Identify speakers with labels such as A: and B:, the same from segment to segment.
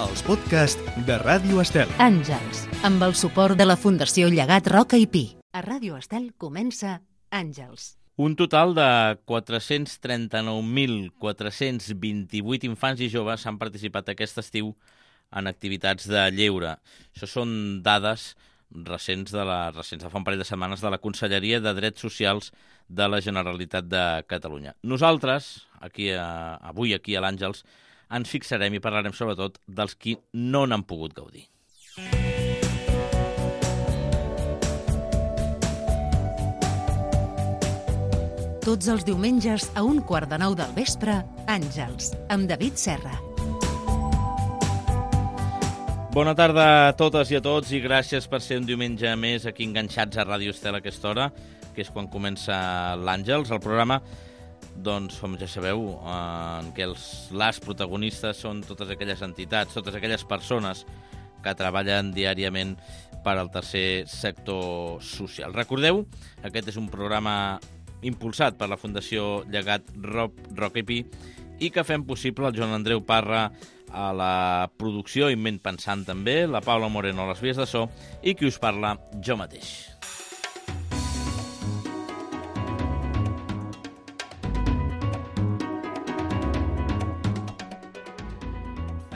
A: els podcasts de Ràdio Estel.
B: Àngels, amb el suport de la Fundació Llegat Roca i Pi. A Ràdio Estel comença Àngels.
C: Un total de 439.428 infants i joves han participat aquest estiu en activitats de lleure. Això són dades recents de fa un parell de setmanes de la Conselleria de Drets Socials de la Generalitat de Catalunya. Nosaltres, avui aquí a l'Àngels, ens fixarem i parlarem sobretot dels qui no n'han pogut gaudir.
B: Tots els diumenges a 8:45 del vespre, Àngels, amb David Serra.
C: Bona tarda a totes i a tots i gràcies per ser un diumenge més aquí enganxats a Ràdio Estel a aquesta hora, que és quan comença l'Àngels, el programa, doncs, com ja sabeu, en què les protagonistes són totes aquelles entitats, totes aquelles persones que treballen diàriament per al tercer sector social. Recordeu, aquest és un programa impulsat per la Fundació Llegat Roca i Pi i que fem possible el Joan Andreu Parra a la producció i ment pensant també, la Paula Moreno a les vies de so i qui us parla, jo mateix.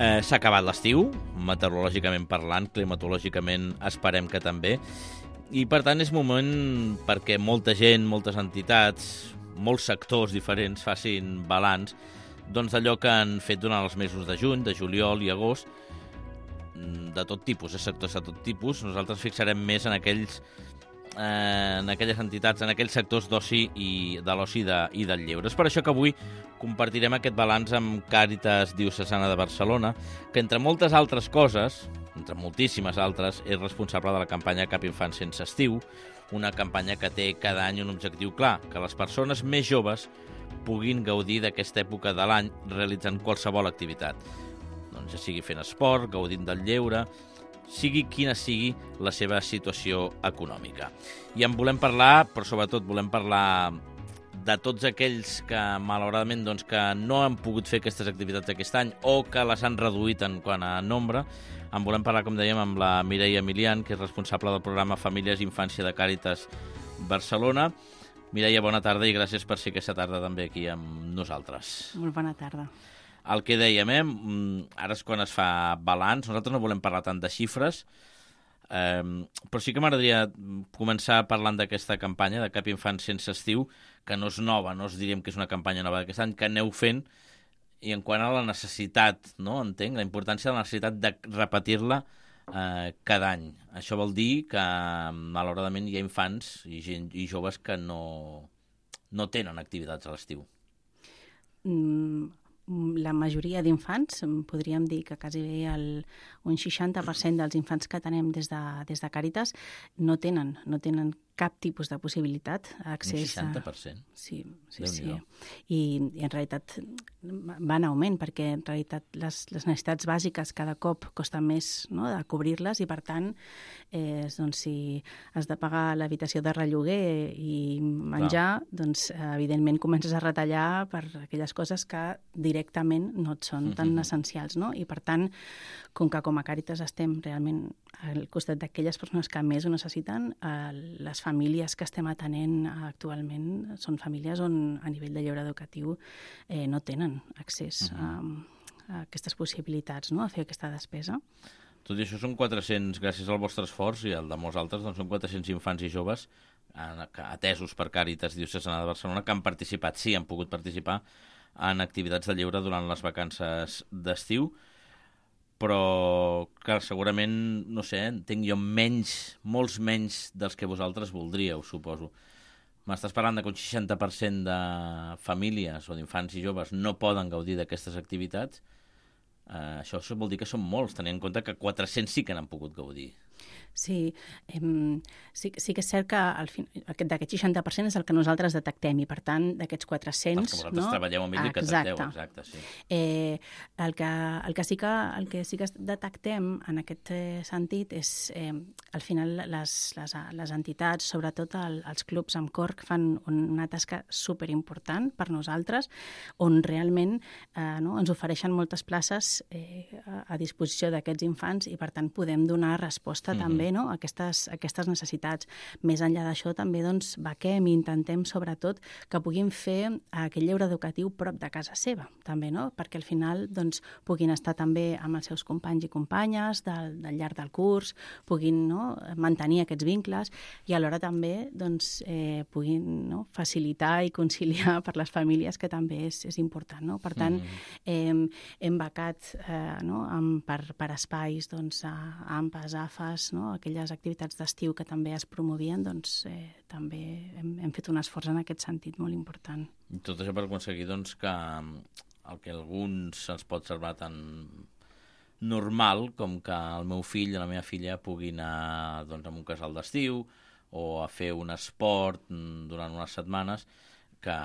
C: S'ha acabat l'estiu, meteorològicament parlant, climatològicament esperem que també, i per tant és moment perquè molta gent, moltes entitats, molts sectors diferents facin balanç doncs d'allò que han fet durant els mesos de juny, de juliol i agost, de tot tipus, sectors de tot tipus. Nosaltres fixarem més en aquelles entitats, en aquells sectors d'oci i de l'oci i del lleure. És per això que avui compartirem aquest balanç amb Càritas Diocesana de Barcelona, que entre moltes altres coses, entre moltíssimes altres, és responsable de la campanya Cap Infant Sense Estiu, una campanya que té cada any un objectiu clar, que les persones més joves puguin gaudir d'aquesta època de l'any realitzant qualsevol activitat. Doncs ja sigui fent esport, gaudint del lleure, sigui quina sigui la seva situació econòmica. I en volem parlar, però sobretot volem parlar de tots aquells que, malauradament, doncs, que no han pogut fer aquestes activitats aquest any o que les han reduït en quant a nombre. En volem parlar, com dèiem, amb la Mireia Emilian, que és responsable del programa Famílies i Infància de Càritas Barcelona. Mireia, bona tarda i gràcies per ser aquesta tarda també aquí amb nosaltres.
D: Molt bona tarda.
C: El que dèiem, ara és quan es fa balanç. Nosaltres no volem parlar tant de xifres, però sí que m'agradaria començar parlant d'aquesta campanya de Cap Infant Sense Estiu, que no és nova, no us diríem que és una campanya nova d'aquest any, que aneu fent, i en quant a la necessitat, no? Entenc la importància de la necessitat de repetir-la cada any. Això vol dir que, malauradament, hi ha infants i joves que no tenen activitats a l'estiu.
D: La majoria d'infants, podríem dir que quasi un 60% dels infants que tenem des de Càritas no tenen cap tipus de possibilitat d'accés.
C: Un 60%?
D: Sí. I en realitat va en augment, perquè en realitat les necessitats bàsiques cada cop costa més, no?, de cobrir-les, i per tant, doncs, si has de pagar l'habitació de relloguer i menjar, doncs evidentment comences a retallar per aquelles coses que directament no et són tan essencials, no? I per tant, com que com a Càritas estem realment al costat d'aquelles persones que més ho necessiten, les famílies que estem atenent actualment són famílies on a nivell de lleure educatiu no tenen accés a aquestes possibilitats, no?, a fer aquesta despesa.
C: Tot i això són 400, gràcies al vostre esforç i al de molts altres, doncs són 400 infants i joves atesos per Càritas Diocesana de Barcelona que han participat, sí, han pogut participar en activitats de lleure durant les vacances d'estiu, però, clar, segurament, no sé, entenc jo molts menys dels que vosaltres voldríeu, suposo. M'estàs parlant que un 60% de famílies o d'infants i joves no poden gaudir d'aquestes activitats. Això vol dir que són molts, tenint en compte que 400 sí que n'han pogut gaudir.
D: Sí, sí que és cert que d'aquest 60% és el que nosaltres detectem i, per tant, d'aquests 400...
C: Els que vosaltres treballeu amb ells i que detecteu, exacte, sí.
D: El que sí que detectem en aquest sentit és, al final, les entitats, sobretot els clubs amb cor, que fan una tasca superimportant per nosaltres, on realment ens ofereixen moltes places a disposició d'aquests infants i, per tant, podem donar resposta també a aquestes necessitats. Més enllà d'això, també vaquem i intentem, sobretot, que puguin fer aquest lleure educatiu prop de casa seva, també, perquè al final puguin estar també amb els seus companys i companyes del llarg del curs, puguin mantenir aquests vincles i alhora també puguin facilitar i conciliar per les famílies, que també és important. Per tant, hem becat per espais, AMPAs, AFAs, aquelles activitats d'estiu que també es promovien, també hem fet un esforç en aquest sentit molt important.
C: I tot això per aconseguir que el que alguns se'ls pot semblar tan normal com que el meu fill i la meva filla puguin anar a un casal d'estiu o a fer un esport durant unes setmanes que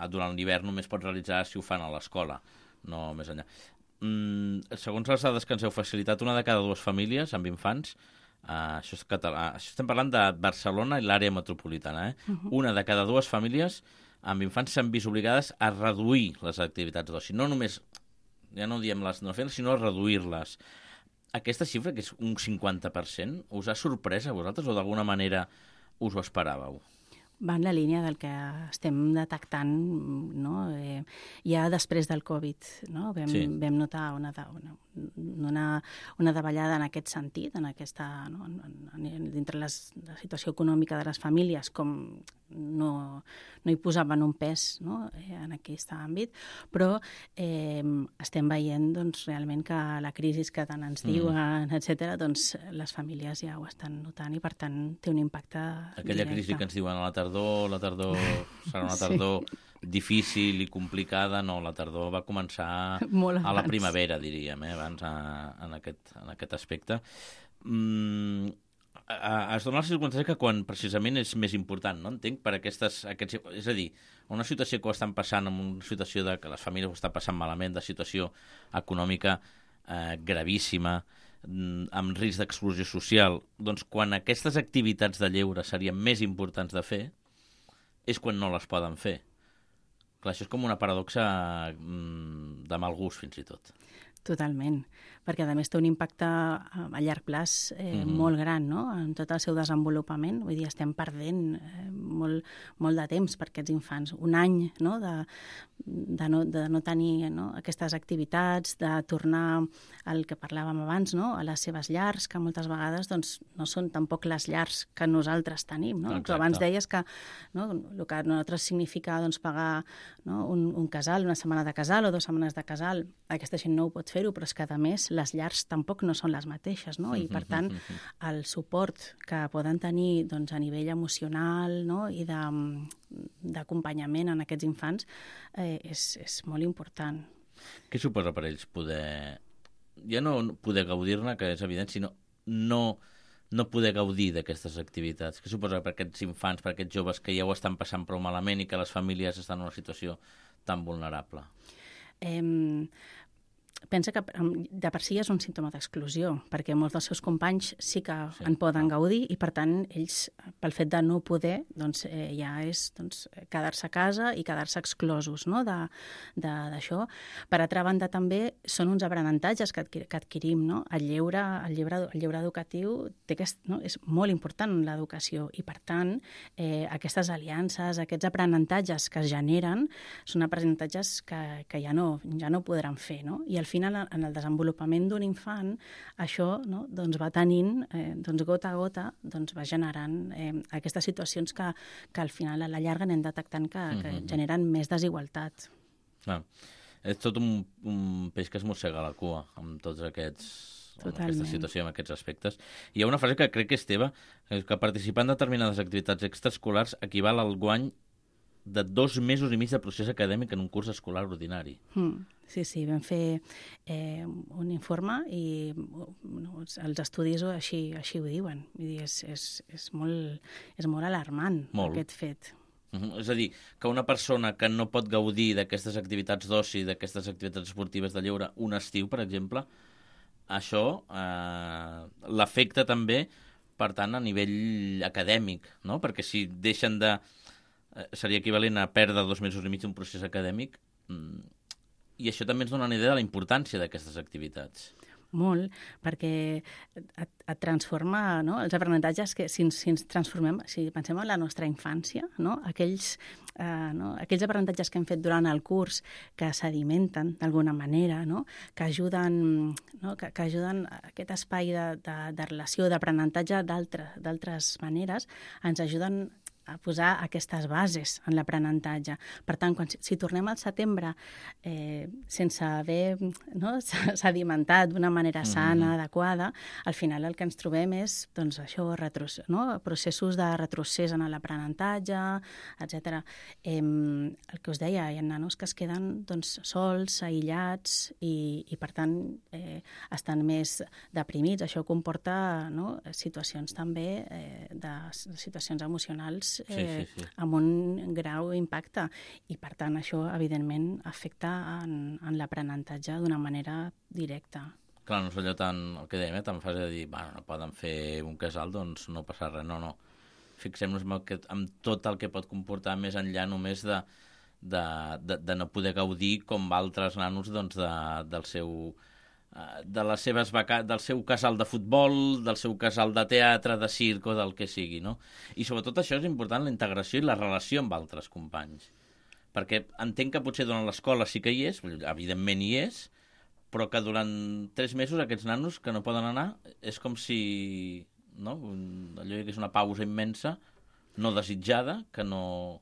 C: durant l'hivern només pot realitzar si ho fan a l'escola, no més enllà. Segons les dades que ens heu facilitat, una de cada dues famílies amb infants, això és català, això estem parlant de Barcelona i l'àrea metropolitana, una de cada dues famílies amb infants s'han vist obligades a reduir les activitats d'oci. No només, ja no diem les no fer-les, sinó a reduir-les. Aquesta xifra, que és un 50%, us ha sorprès a vosaltres o d'alguna manera us ho esperàveu?
D: Va en la línia del que estem detectant, ja després del Covid. Vam notar una davallada en aquest sentit, dintre la situació econòmica de les famílies, com no hi posaven un pes en aquest àmbit, però estem veient realment que la crisi que tant ens diuen, etc., les famílies ja ho estan notant i, per tant, té un impacte
C: Aquella
D: directe.
C: crisi que ens diuen a la tardor serà una tardor difícil i complicada, no, la tardor va començar a la primavera, diríem, abans en aquest aspecte. Es dona la circumstància que quan precisament és més important, no? Entenc, per és a dir, una situació que ho estan passant, en una situació que les famílies ho estan passant malament, de situació econòmica gravíssima, amb risc d'exclusió social, doncs quan aquestes activitats de lleure serien més importants de fer, és quan no les poden fer. Clar, això és com una paradoxa de mal gust, fins i tot.
D: Totalment, perquè a més té un impacte a llarg plaç molt gran, en tot el seu desenvolupament. Vull dir, estem perdent molt de temps per aquests infants. Un any de no tenir aquestes activitats, de tornar al que parlàvem abans, a les seves llars, que moltes vegades no són tampoc les llars que nosaltres tenim. Tu abans deies que el que a nosaltres significa pagar un casal, una setmana de casal o 2 setmanes de casal, aquesta gent no ho pot fer-ho, però és que, a més, les llars tampoc no són les mateixes, i, per tant, el suport que poden tenir a nivell emocional i d'acompanyament en aquests infants és molt important.
C: Què suposa per ells poder... Ja no poder gaudir-ne, que és evident, sinó no poder gaudir d'aquestes activitats? Què suposa per aquests infants, per aquests joves que ja ho estan passant prou malament i que les famílies estan en una situació tan vulnerable?
D: Pensa que de per si és un símptoma d'exclusió, perquè molts dels seus companys sí que en poden gaudir i, per tant, ells, pel fet de no poder, ja és quedar-se a casa i quedar-se exclosos d'això. Per altra banda, també són uns aprenentatges que adquirim. El lleure educatiu és molt important en l'educació i, per tant, aquestes aliances, aquests aprenentatges que es generen són aprenentatges que ja no podran fer, i al final, en el desenvolupament d'un infant, això va tenint, gota a gota, va generant aquestes situacions que al final, a la llarga, anem detectant que generen més desigualtat.
C: És tot un peix que es mossega la cua amb tots aquesta situació, amb aquests aspectes. Hi ha una frase que crec que és teva, que participar en determinades activitats extraescolars equival al guany de 2 mesos i mig de procés acadèmic en un curs escolar ordinari.
D: Sí, sí, vam fer un informe i els estudis així ho diuen. Vull dir, és molt alarmant, aquest fet.
C: És a dir, que una persona que no pot gaudir d'aquestes activitats d'oci, d'aquestes activitats esportives de lleure un estiu, per exemple, això l'afecta també, per tant, a nivell acadèmic, no? Perquè si deixen de... seria equivalent a perdre 2 mesos i mig d'un procés acadèmic, i això també ens dona una idea de la importància d'aquestes activitats.
D: Molt, perquè et transforma, no? Els aprenentatges que si ens transformem, si pensem en la nostra infància, no? Aquells aprenentatges que hem fet durant el curs que sedimenten d'alguna manera, no? Que ajuden, no? Que ajuden a aquest espai de relació, d'aprenentatge d'altres maneres, ens ajuden a posar aquestes bases en l'aprenentatge. Per tant, si tornem al setembre sense haver sedimentat d'una manera sana, adequada, al final el que ens trobem és doncs, això, processos de retrocés en l'aprenentatge, etc. El que us deia, hi ha nanos que es queden doncs, sols, aïllats i per tant, estan més deprimits. Això comporta situacions també de situacions emocionals
C: sí.
D: amb un grau impacte i per tant això evidentment afecta en l'aprenentatge d'una manera directa.
C: Clar, no és allò el que dèiem, tan fàcil de dir, no poden fer un casal, doncs no passa res, no. Fixem-nos en tot el que pot comportar més enllà només de no poder gaudir com altres nanos doncs, del seu casal de futbol, del seu casal de teatre, de circ o del que sigui, no? I sobretot això és important, la integració i la relació amb altres companys. Perquè entenc que potser durant l'escola sí que hi és, evidentment hi és, però que durant 3 mesos aquests nanos que no poden anar és com si allò que és una pausa immensa, no desitjada, que no...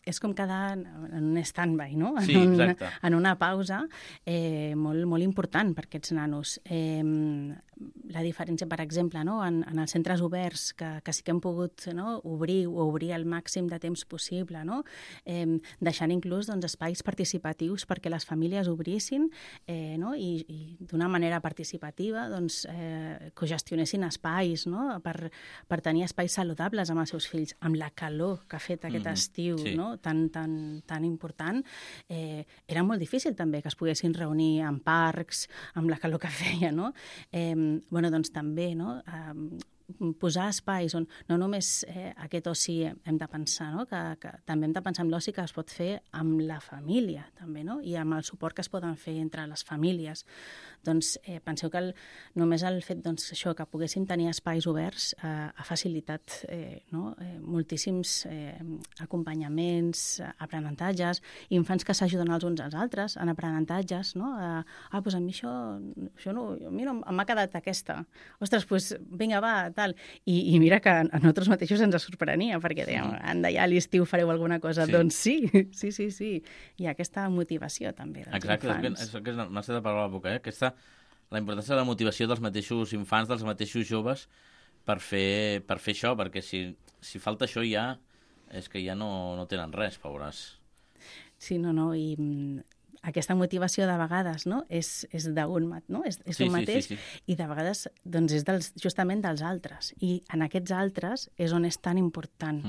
D: És com quedar en un stand-by, no?
C: Sí, exacte.
D: En una pausa molt, molt important per aquests nanos. La diferència, per exemple, en els centres oberts, que sí que hem pogut obrir el màxim de temps possible, deixant inclús espais participatius perquè les famílies obrissin i d'una manera participativa cogestionessin espais per tenir espais saludables amb els seus fills, amb la calor que ha fet aquest estiu,
C: sí.
D: Tan important, era molt difícil també que es poguessin reunir en parcs, amb la calor que feia, no? Doncs també, posar espais on no només aquest oci hem de pensar, que també hem de pensar en l'oci que es pot fer amb la família, també, i amb el suport que es poden fer entre les famílies. Doncs penseu que només el fet això que poguéssim tenir espais oberts ha facilitat moltíssims acompanyaments, aprenentatges, infants que s'ajuden els uns als altres en aprenentatges, doncs a mi això no, a mi no m'ha quedat aquesta. Ostres, doncs vinga, va, tal. I mira que a nosaltres mateixos ens sorprenia, perquè dèiem, anda, ja a l'estiu fareu alguna cosa. Sí. Doncs sí. Hi ha aquesta motivació també dels infants.
C: Exacte, és m'ha estat de parlar a la boca, la importància de la motivació dels mateixos infants, dels mateixos joves, per fer això, perquè si falta això ja és que ja no tenen res, pobres.
D: Sí, i aquesta motivació de vegades és d'un mateix
C: sí.
D: I de vegades és justament dels altres. I en aquests altres és on és tan important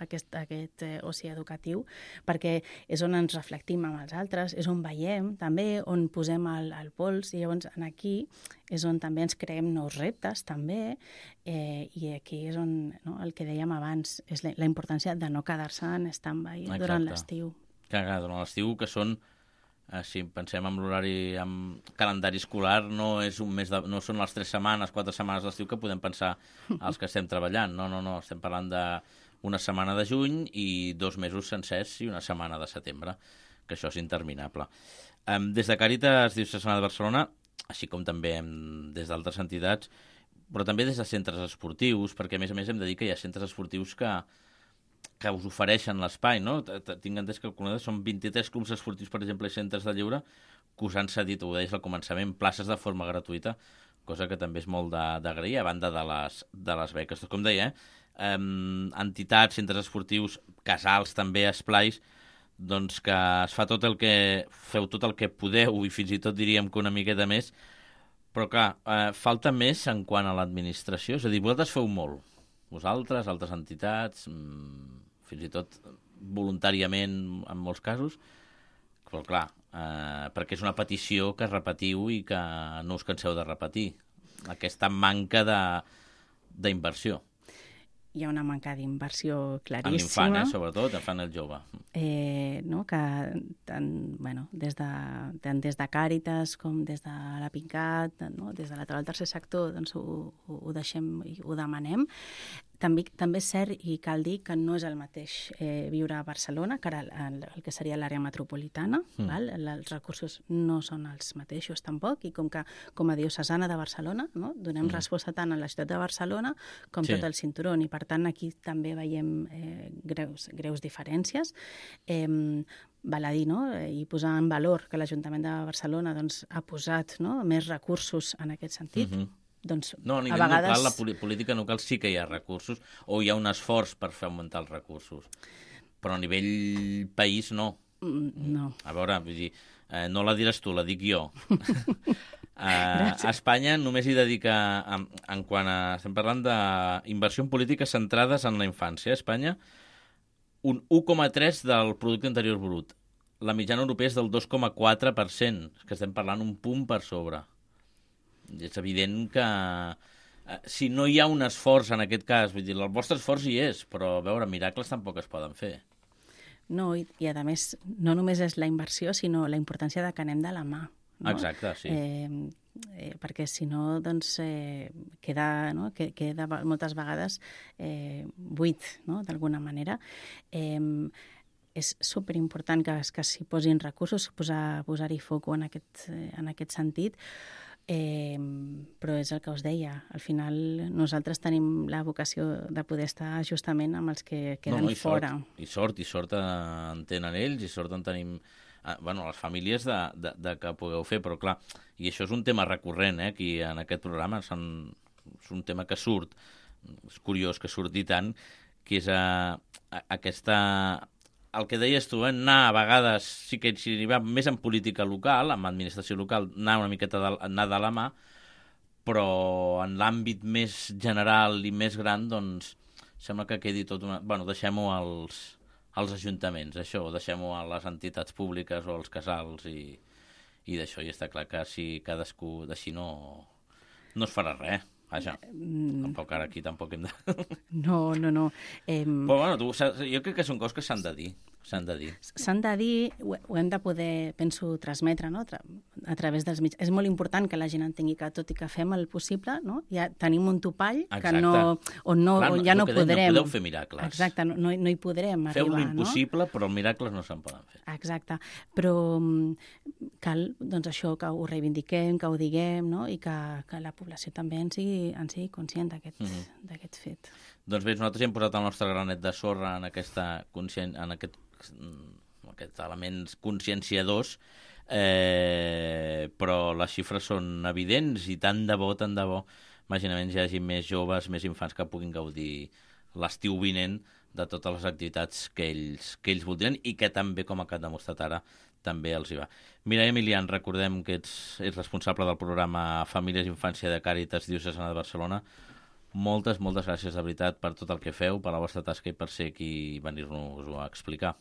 D: aquest oci educatiu, perquè és on ens reflectim amb els altres, és on veiem també, on posem el pols, i llavors aquí és on també ens creem nous reptes també, i aquí és on el que dèiem abans, és la importància de no quedar-se en stand-by durant l'estiu.
C: Clar, durant l'estiu, que són... Si pensem en l'horari, en calendari escolar, no són les 3 setmanes, 4 setmanes d'estiu que podem pensar els que estem treballant. No, estem parlant d'una setmana de juny i 2 mesos sencers i una setmana de setembre, que això és interminable. Des de Càritas Diocesana de Barcelona, així com també des d'altres entitats, però també des de centres esportius, perquè a més hem de dir que hi ha centres esportius que us ofereixen l'espai, no? Tinc entès que són 23 clubs esportius, per exemple, i centres de lleure, que us han cedit, ho deies al començament, places de forma gratuïta, cosa que també és molt d'agrair, a banda de les beques. Com deia, entitats, centres esportius, casals també, esplais, doncs que es fa feu tot el que podeu i fins i tot diríem que una miqueta més, però clar, falta més en quant a l'administració, és a dir, vosaltres feu molt, vosaltres, altres entitats, fins i tot voluntàriament en molts casos, però clar, perquè és una petició que repetiu i que no us canseu de repetir, aquesta manca d'inversió.
D: Hi ha una manca d'inversió
C: En
D: claríssima.
C: l'infant, sobretot, infant el jove.
D: No? Que tant, des de Càritas com des de la PINCAT, no? Des de la taula del tercer sector, doncs ho deixem i ho demanem. També és cert i cal dir que no és el mateix viure a Barcelona que el que seria l'àrea metropolitana. Val? Els recursos no són els mateixos tampoc i com a diocesana de Barcelona, no? Donem resposta tant a la ciutat de Barcelona com tot el cinturó i per tant aquí també veiem greus diferències. Val a dir, no? I posar en valor que l'Ajuntament de Barcelona doncs, ha posat més recursos en aquest sentit. Doncs,
C: no, a nivell local, la política local sí que hi ha recursos, o hi ha un esforç per fer augmentar els recursos. Però a nivell país, no.
D: No.
C: A veure, vull dir, no la diràs tu, la dic jo. A Espanya només hi dedica, en quant a... Estem parlant d'inversió en polítiques centrades en la infància. A Espanya, un 1,3 del producte interior brut. La mitjana europea és del 2,4%, que estem parlant un punt per sobre. És evident que si no hi ha un esforç en aquest cas, vull dir, el vostre esforç hi és, però a veure, miracles tampoc es poden fer.
D: No, i a més, no només és la inversió, sinó la importància de que anem de la mà. No?
C: Exacte, sí.
D: Perquè si no, doncs, queda moltes vegades buit, no? D'alguna manera. És superimportant que s'hi posin recursos, posar-hi foc en aquest sentit, però és el que us deia, al final nosaltres tenim la vocació de poder estar justament amb els que queden fora.
C: I sort en tenen ells, i sort en tenim les famílies de que pugueu fer, però clar, i això és un tema recurrent, aquí en aquest programa, és un tema que surt, és curiós que surti tant, que és aquesta... El que deies tu, anar a vegades, sí que si hi va més en política local, en administració local, anar una miqueta anar de la mà, però en l'àmbit més general i més gran, doncs, sembla que quedi tot una... Bueno, deixem-ho als ajuntaments, això, deixem-ho a les entitats públiques o als casals i d'això, i està clar que si cadascú d'així no es farà res. Vaja, tampoc ara aquí tampoc hem de...
D: No.
C: Però bueno, jo crec que són coses que s'han de dir. S'han de dir,
D: ho hem de poder, penso, transmetre, no? A través dels mitjans. És molt important que la gent entengui que tot i que fem el possible, no? Ja tenim un topall que on ja no podrem...
C: No podeu fer miracles.
D: Exacte, no hi podrem arribar.
C: Feu l'impossible, però miracles no se'n poden fer.
D: Exacte, però cal, doncs això, que ho reivindiquem, que ho diguem, no? I que la població també en sigui conscient d'aquest fet.
C: Doncs bé, nosaltres hem posat el nostre granet de sorra en aquests elements conscienciadors, però les xifres són evidents i tant de bo, imaginament hi hagi més joves, més infants que puguin gaudir l'estiu vinent de totes les activitats que ells voldrien i que també, com ha demostrat ara, també els hi va. Mireia Milian, recordem que ets responsable del programa Famílies i Infància de Càritas Diocesana de Barcelona. Moltes gràcies, de veritat, per tot el que feu, per la vostra tasca i per ser aquí i venir-nos-ho a explicar.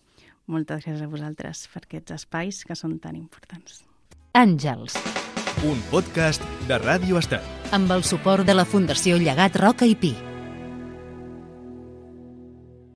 D: Moltes gràcies a vosaltres per aquests espais que són tan importants.
B: Àngels.
A: Un podcast de Ràdio Estel.
B: Amb el suport de la Fundació Llegat Roca i Pi.